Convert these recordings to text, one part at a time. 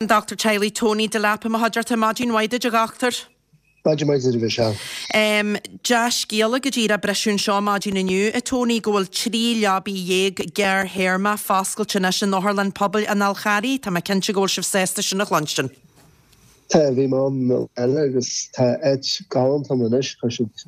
An Dochtúir Teaghlaigh Tony Delap i mo chuideachta. Maidin mhaith duit a dhochtúir. Maidin mhaith duit a Mhichelle. Dea-scéala go díreach briseadh anseo maidin inniu, a Tony, go bhfuil 13 leabaí gearrthéarma foscailte anois in Otharlann Pobail an Fháil Charraigh. Tá mé cinnte go bhfuil sibh sásta sin a chluinstin. Tá, bhí mé ann an lá eile agus tá áit galánta ann anois. Chuir siad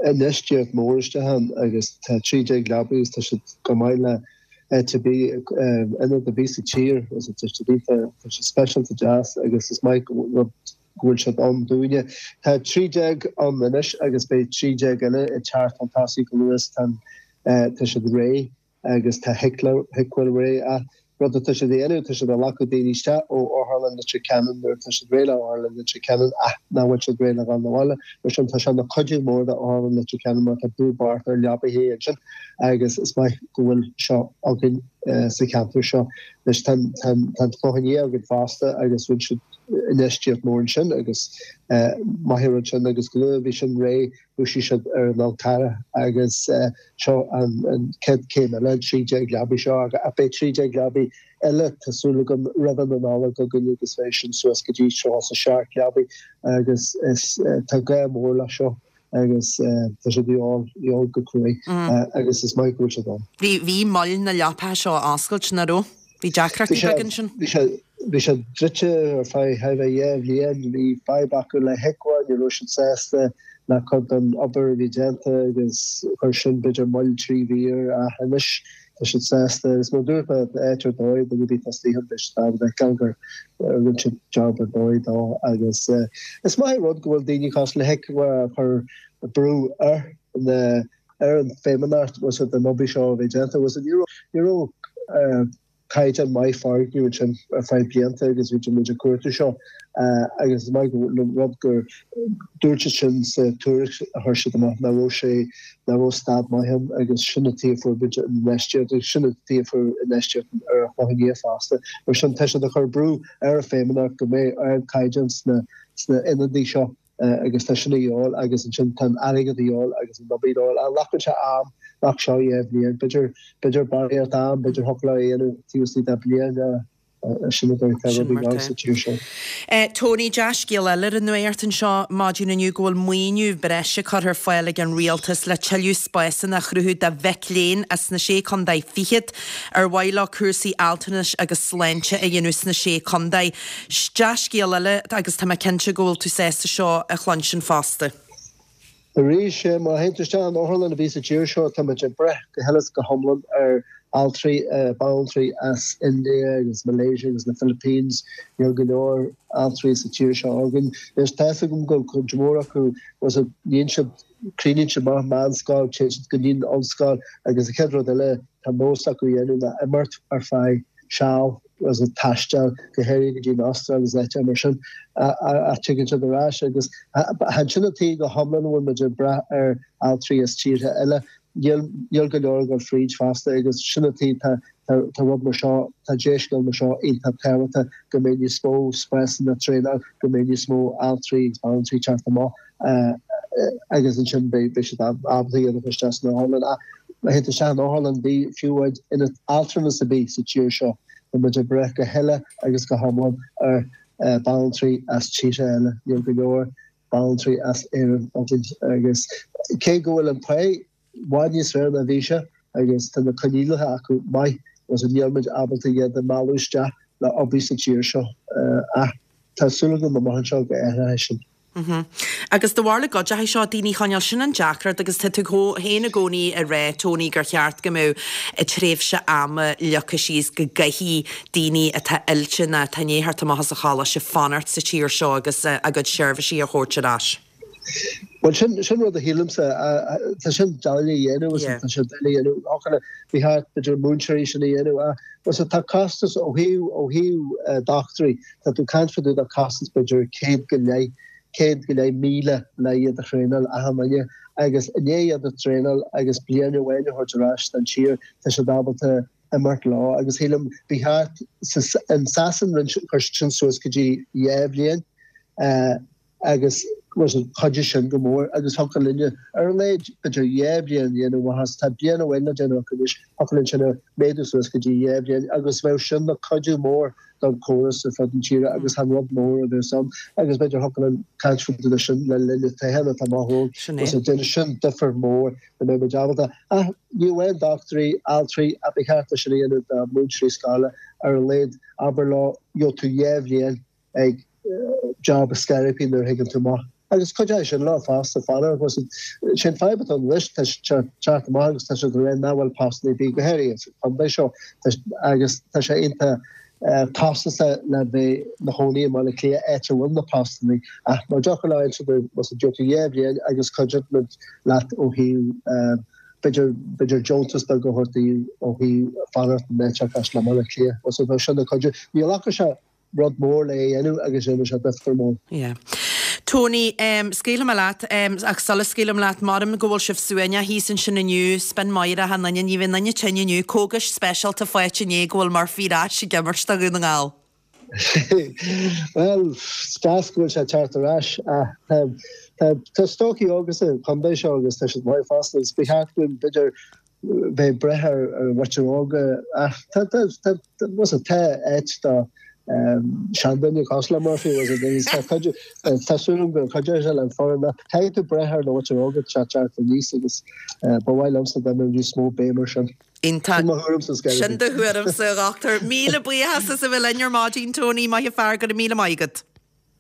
infheistíocht mór isteach ann agus tá 13 leabaí agus tá siad go maith le áit ar bith, ionad ar bith sa tír, is tá siad iontach, tá siad speisialta deas agus is maith go rud go bhfuil siad ann dúinne. Tá 13 ann anois agus beidh 13 eile ag teacht chun tosaigh go luath, tá an, tá siad réidh agus tá Hickwell réidh ach rud atá siad a dhéanamh, tá siad ag glacadh daoine isteach ó Otharlann Leitir Ceanainn nuair atá siad réidh le Otharlann Leitir Ceanainn ach nach bhfuil siad réidh le dhul 'na bhaile. Mar sin tá sé ina chuidiú mór do Otharlann Leitir Ceanainn mar tá brú bocht ar leabaithe ansin. agus is maith go bhfuil seo againn sa cheantar seo. Anois tá an Clochán Liath againn fosta agus rinne siad infheistíocht mór ansin agus maith an rud sin agus go luath a bhí sin réidh thosaigh siad ar an Fhál Carrach agus seo an chéad chéim eile, an 13 leabaidh seo ach beidh 13 leabaidh eile tá súil agam roimh an Nollaig againn agus beidh sin suas go dtí 37 leabaidh agus is tá gá mór leis seo. agus tá sé de dhíobháil go cruaidh agus is maith go bhfuil siad ann. Bhí, bhí moill na leapacha seo a oscailt, nach raibh? Bhí deacrachtaí beaga ansin. Bhí sé, bhí sé druidte ar feadh thar a bheith 2 bhliain, bhí fadhb acu le HIQA, ní raibh siad sásta le cuid den obair a bhí déanta agus chuir sin b'fhéidir moill 3 mhí air ach anois tá siad sásta agus mar a dúirt mé, áit ar dóigh, duine ar bith atá istigh ann beidh siad ábalta a fheiceáil gur rinne siad job ar dóigh dó agus is maith an rud go bhfuil daoine cosúil le HIQA ag cur brú ar na ar an Feidhmeannacht was it an obair seo a bheith déanta was it ní raibh ní raibh caighdeán maith foirgneamh ansin ar feadh blianta agus bhí muid ag cuartú seo agus is maith an rud gur dúirt siad sin sa tuairisc a chuir siad amach nach raibh sé, nach raibh staid maith ann agus sin an tuige a fuair muid an infheistíocht agus sin an tuige a fuair infheistíocht ar an Chlochán Liath fosta. Mar sin tá siad ag cur brú ar an Feidhmeannacht go mbeidh ardchaighdeán sna sna ionadaí seo agus tá sin a dhíobháil agus ansin tá an airgead a dhíobháil agus an obair a dhíobháil. Ach glacann sé am, nach seo 2 bhliain, b'fhéidir, b'fhéidir barraíocht am, b'fhéidir thiocfadh leo a dhéanamh taobh istigh de bliain. Sin a dúirt Sin mar tá. Tony, dea-scéal eile ar an nuacht anseo maidin inniu go bhfuil maoiniú breise curtha ar fáil ag an Rialtas le tuilleadh spásanna a chruthú do mhic léinn as na Sé Contae Fichead ar mhaith leo cúrsaí altranais agus sláinte a dhéanamh sna Sé Contae. Dea-scéal eile agus tá mé cinnte go bhfuil tú sásta seo a chluinstin fosta. Arís, má théann tú isteach in otharlann ar bith sa tír seo, tá muid ag brath go huile is go hiomlán ar altraí, banaltraí as India agus Malaysia agus na Philippines. Níl go leor altraí sa tír seo againn. Anois, tá fhios agam go bhfuil cuid mhór acu, níonn siad, críochnaíonn siad amach meánscoil, téann siad go dtí an ollscoil agus an chéad rud eile tá nós acu a dhéanamh ná imeacht ar feadh seal. agus ag taisteal, go háirithe go dtí an Astráil agus áiteacha mar sin, ach tigeann siad ar ais agus chan sin an tuige go hiomlán a bhfuil muid ag brath ar altraí as tíortha eile. Níl, níl go leor ag dul fríd fosta agus sin an tuige tá, tá, tá rud mar seo, tá dea-scéal mar seo iontach tábhachtach go mbeidh níos mó spásanna traenáil, go mbeidh níos mó altraí agus banaltraí ag teacht amach. agus ansin beidh siad ábalta iad a chur isteach san otharlann. Ach má théann tú isteach in otharlann ar bith, fiú ionad altranais ar bith sa tír seo, tá muid ag brath go huile agus go hiomlán ar banaltraí as tíortha eile. Níl go leor banaltraí as Éirinn againn agus cé go bhfuil an pá i bhfad níos fearr ná bhí sé agus tá na coinníollacha acu maith agus níl muid ábalta iad a mhealladh isteach le obair sa tír seo. Ach tá súil agam amach anseo go athróidh sin. Agus de bharr na gcuideachtaí seo daoine a choinneáil, sin an deacracht agus tá tú féin i gcónaí ag rá, Tony, gur cheart go mbeadh tréimhse ama leagtha síos go gcaithfidh daoine atá oilte nó atá i ndiaidh theacht amach as an choláiste fanacht sa tír seo agus a gcuid seirbhísí a thabhairt ar ais. Bhuel, sin, sin rud a shílimse, tá sin doiligh a dhéanamh, yeah. tá sé doiligh a dhéanamh, thiocfadh le, ba cheart b'fhéidir múinteoirí sin a dhéanamh, ach bhuel, tá costas ó thaobh, ó thaobh dochtúirí, Tá tú ag caint fá dtaobh de costas b'fhéidir 100 go leith, 100,000 le iad a thraenáil achan duine agus i ndiaidh iad a thraenáil agus bliain amháin a thabhairt ar ais don tír tá siad ábalta imeacht leo agus shílim ba cheart in Sasain rinne chuir siad sin suas go dtí 2 bhliain agus. Chuideodh sin go mór agus thiocfadh linne ar a laghad b'fhéidir dhá bhliain a dhéanamh amach as, tá bliain amháin le déanamh acu anois, thiocfadh linn sin a mhéadú suas go dtí dhá bhliain agus bheadh sin ina chuidiú mór don chóras ar fud na tíre agus chan rud mór a bheas ann agus b'fhéidir thiocfadh linn caint faoi de sin le linn na toghcháin atá amach romhainn Sin é. agus déanfaidh sin difear mór go mbeidh muid ábalta ach ní amháin dochtúirí, altraí ach ba cheart é sin a dhéanamh do mhúinteoirí scoile ar a laghad abair leo gheobhaidh tú dhá bhliain ag job a scairpí nuair a thigeann tú amach. Agus cuideoidh sin leo fosta fanacht agus sé an fadhb atá ann anois, tá siad ag teacht amach agus tá siad ag rá nach bhfuil postanna ar bith, go háirithe sa chontae seo, agus tá sé iontach costasach le bheith ina chónaí i mBaile Átha Cliath, áit a bhfuil na postanna. Ach má dtiocfadh leo inse dóibh, más a dtiocfaidh dhá bhliain agus cuideoidh muid leat ó thaobh b'fhéidir, b'fhéidir deontas beag a thabhairt daoibh ó thaobh fanacht in áit cosúil le Baile Átha Cliath. So bheadh sin ina chuidiú. Ní ghlacfadh sé rud mór le é a dhéanamh agus déanfaidh sé difear mór. Yeah. Tony, em, scaoilfidh mé leat, em, ach sula scaoilim leat, maram go bhfuil sibh suaimhneach thíos ansin inniu, spin maith achan duine, ní bheidh aon duine tinn inniu, cógais speisialta faighte inné go bhfuil Murphy ar ais ag imirt do Dhún na nGall. Bhuel, is deas go bhfuil sé ag teacht ar ais ach tá, tá, tá stócaigh óga sa chontae seo agus tá siad maith fosta agus ba cheart dúinn b'fhéidir bheith ag brath ar an mhuintir óga ach tá tá áit do seanduine cosúil le Murphy tá cuid tá súil agam go gcuideoidh sé le an foireann ach caithfidh tú brath ar na mhuintir óga teacht teacht aníos agus ba mhaith liomsa dá mbeadh níos mó béim ar sin. Iontach. Sin mo thuairimse Sin do thuairimse, a dhochtúir. Míle buíochas as a bheith linn ar maidin, Tony. Maith an fear, go raibh míle maith agat.